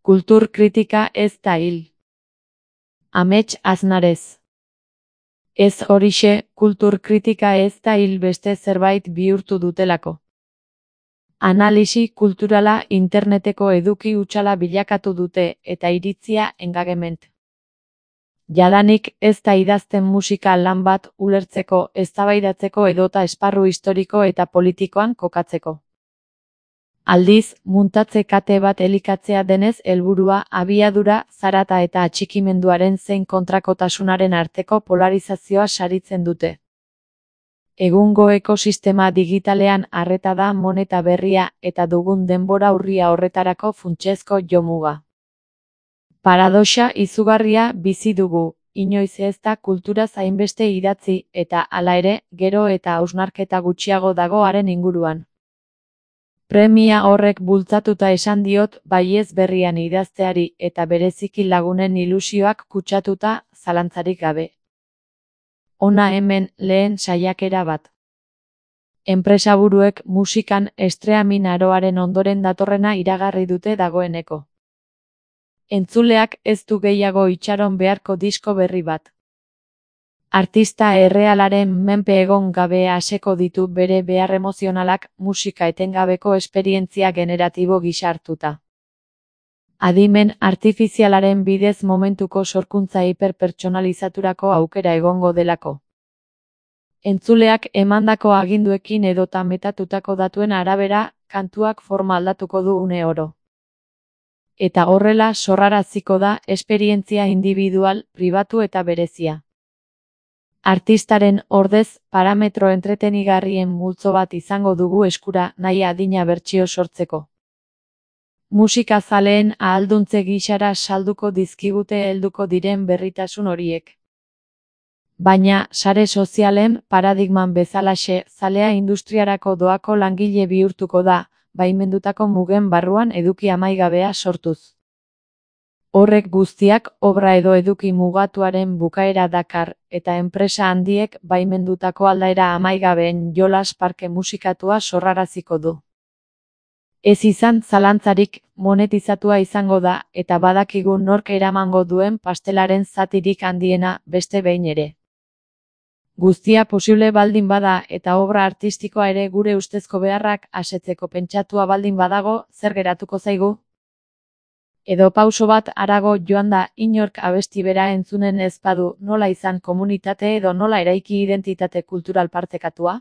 Kultur kritika ez da hil. Amets Aznarez. Ez horixe, kultur kritika ez da hil beste zerbait bihurtu dutelako. Analisi kulturala interneteko eduki hutsala bilakatu dute eta iritzia engagement. Jadanik ez da idazten musika lan bat ulertzeko, eztabaidatzeko edota esparru historiko eta politikoan kokatzeko. Aldiz, muntatze kate bat elikatzea denez helburua abiadura, zarata eta atxikimenduaren zein kontrakotasunaren arteko polarizazioa saritzen dute. Egungo ekosistema digitalean arreta da moneta berria eta dugun denbora urria horretarako funtsezko jomuga. Paradoxa izugarria bizi dugu, inoiz ez da kultura hainbeste idatzi eta hala ere, gero eta hausnarketa gutxiago dago haren inguruan. Premia horrek bultzatuta esan diot baiez berrian idazteari eta bereziki lagunen ilusioak kutsatuta zalantzarik gabe. Hona hemen lehen saiakera bat. Enpresaburuek musikan streaming aroaren ondoren datorrena iragarri dute dagoeneko. Entzuleak ez du gehiago itxaron beharko disko berri bat. Artista errealaren menpe egon gabe aseko ditu bere behar emozionalak musika etengabeko esperientzia generatibo gisa hartuta. Adimen artifizialaren bidez momentuko sorkuntza hiperpertsonalizaturako aukera egongo delako. Entzuleak emandako aginduekin edota metatutako datuen arabera, kantuak forma aldatuko du une oro. Eta horrela sorraraziko da esperientzia individual, pribatu eta berezia. Artistaren ordez, parametro entretenigarrien multzo bat izango dugu eskura nahi adina bertsio sortzeko. Musika zaleen ahalduntze gisara salduko dizkigute helduko diren berritasun horiek. Baina, sare sozialen paradigman bezalaxe, zalea industriarako doako langile bihurtuko da, baimendutako mugen barruan eduki amaigabea sortuz. Horrek guztiak obra edo eduki mugatuaren bukaera dakar, eta enpresa handiek baimendutako aldaera amaigabeen jolas parke musikatua sorraraziko du. Ez izan zalantzarik, monetizatua izango da, eta badakigu nork eramango duen pastelaren zatirik handiena beste behin ere. Guztia posible baldin bada eta obra artistikoa ere gure ustezko beharrak asetzeko pentsatua baldin badago, zer geratuko zaigu? Edo pauso bat harago joan da inork abesti bera entzunen ez badu nola izan komunitate edo nola eraiki identitate kultural partekatua?